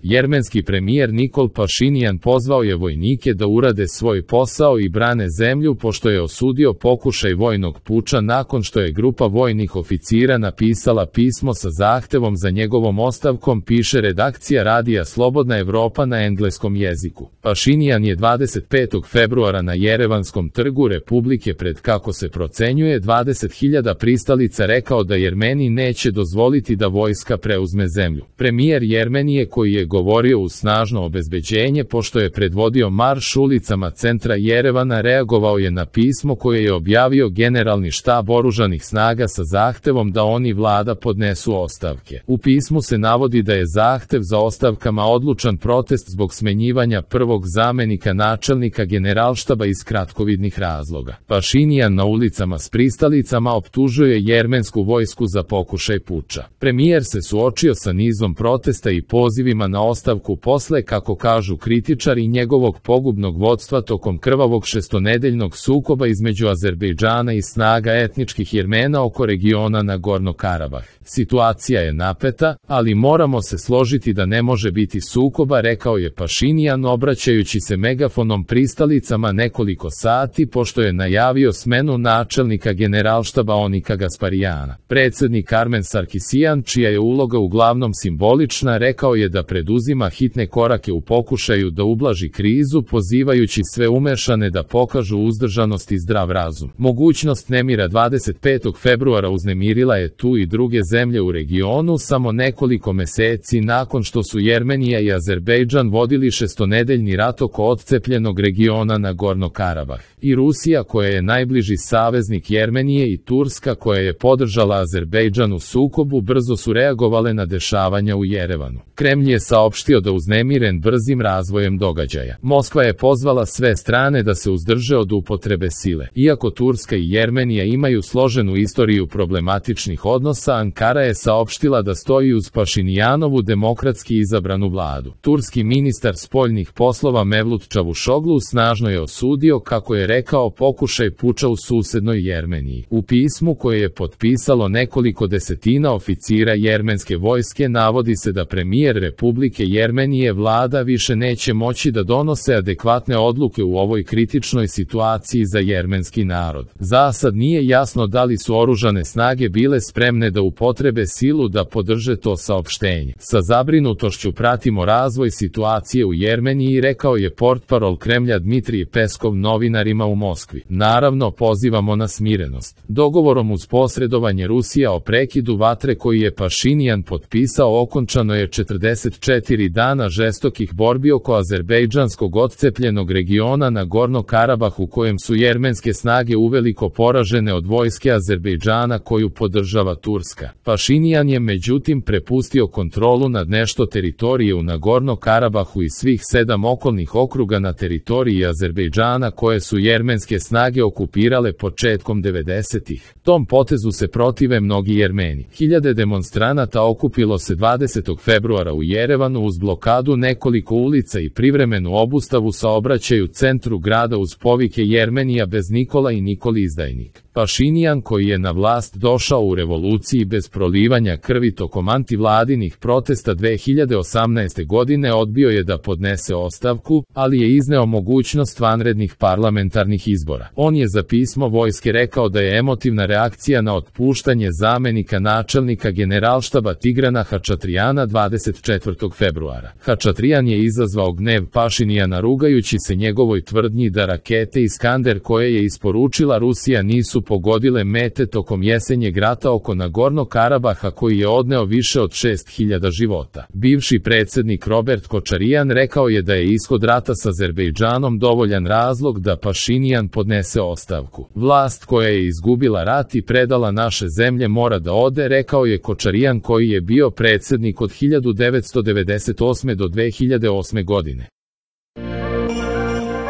Jermenski premijer Nikol Pašinjan pozvao je vojnike da urade svoj posao i brane zemlju pošto je osudio pokušaj vojnog puča nakon što je grupa vojnih oficira napisala pismo sa zahtevom za njegovom ostavkom, piše redakcija radija Slobodna Evropa na engleskom jeziku. Pašinjan je 25. februara na Jerevanskom trgu Republike pred, kako se procenjuje, 20.000 pristalica rekao da Jermeni neće dozvoliti da vojska preuzme zemlju. Premijer Jermenije, koji je govorio uz snažno obezbeđenje pošto je predvodio marš ulicama centra Jerevana, reagovao je na pismo koje je objavio Generalni štab oružanih snaga sa zahtevom da oni vlada podnesu ostavke. U pismu se navodi da je zahtev za ostavkama odlučan protest zbog smenjivanja prvog zamenika načelnika Generalštaba iz kratkovidnih razloga. Pašinjan na ulicama s pristalicama optužuje jermensku vojsku za pokušaj puča. Premijer se suočio sa nizom protesta i pozivima na ostavku posle, kako kažu kritičari, njegovog pogubnog vodstva tokom krvavog šestonedeljnog sukoba između Azerbejdžana i snaga etničkih Jermena oko regiona Nagorno-Karabah. Situacija je napeta, ali moramo se složiti da ne može biti sukoba, rekao je Pašinjan obraćajući se megafonom pristalicama nekoliko sati pošto je najavio smenu načelnika Generalštaba Onika Gasparijana. Predsednik Armen Sarkisijan, čija je uloga uglavnom simbolična, rekao je da preduzima hitne korake u pokušaju da ublaži krizu, pozivajući sve umešane da pokažu uzdržanost i zdrav razum. Mogućnost nemira 25. februara uznemirila je tu i druge zemlje u regionu samo nekoliko meseci nakon što su Jermenija i Azerbejdžan vodili šestonedeljni rat oko odcepljenog regiona Nagorno-Karabah. I Rusija, koja je najbliži saveznik Jermenije, i Turska, koja je podržala Azerbejdžan u sukobu, brzo su reagovale na dešavanja u Jerevanu. Kremlj je saopštio da uznemiren brzim razvojem događaja. Moskva je pozvala sve strane da se uzdrže od upotrebe sile. Iako Turska i Jermenija imaju složenu istoriju problematičnih odnosa, Ankara je saopštila da stoji uz Pašinjanovu demokratski izabranu vladu. Turski ministar spoljnih poslova Mevlut Čavuşoglu snažno je osudio, kako je rekao, pokušaj puča u susednoj Jermeniji. U pismu koje je potpisalo nekoliko desetina oficira jermenske vojske navodi se da premijer Republike Jermenije vlada više neće moći da donose adekvatne odluke u ovoj kritičnoj situaciji za jermenski narod. Za sad nije jasno da li su oružane snage bile spremne da upotrebe silu da podrže to saopštenje. Sa zabrinutošću pratimo razvoj situacije u Jermeniji, rekao je portparol Kremlja Dmitrij Peskov novinarima u Moskvi. Naravno, pozivamo na smirenost. Dogovorom uz posredovanje Rusija o prekidu vatre koji je Pašinjan potpisao okončano je 44 dana žestokih borbi oko azerbejdžanskog odcepljenog regiona Nagorno-Karabah u kojem su jermenske snage uveliko poražene od vojske Azerbejdžana koju podržava Turska. Pašinjan je međutim prepustio kontrolu nad nešto teritorije u Nagorno-Karabahu i svih 7 okolnih okruga na teritoriji Azerbejdžana koje su jermenske snage okupirale početkom 90-ih. Tom potezu se protive mnogi Jermeni. Hiljade demonstranata okupilo se 20. februara u Jerevanu uz blokadu nekoliko ulica i privremenu obustavu saobraćaja u centru grada uz povike Jermenija bez Nikola i Nikoli izdajnik. Pašinjan, koji je na vlast došao u revoluciji bez prolivanja krvi tokom antivladinih protesta 2018. godine, odbio je da podnese ostavku, ali je izneo mogućnost vanrednih parlamentarnih izbora. On je za pismo vojske rekao da je emotivna reakcija na otpuštanje zamenika načelnika Generalštaba Tigrana Hačatrijana 24. februara. Hačatrijan je izazvao gnev Pašinjana rugajući se njegovoj tvrdnji da rakete Iskander koje je isporučila Rusija nisu pogodile mete tokom jesenjeg rata oko Nagorno-Karabaha koji je odneo više od 6000 života. Bivši predsednik Robert Kočarijan rekao je da je ishod rata s Azerbejdžanom dovoljan razlog da Pašinjan podnese ostavku. Vlast koja je izgubila rat i predala naše zemlje mora da ode, rekao je Kočarijan, koji je bio predsednik od 1998. do 2008. godine.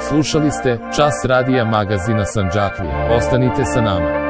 Slušali ste Čas radija magazina Sandžaklija. Ostanite sa nama.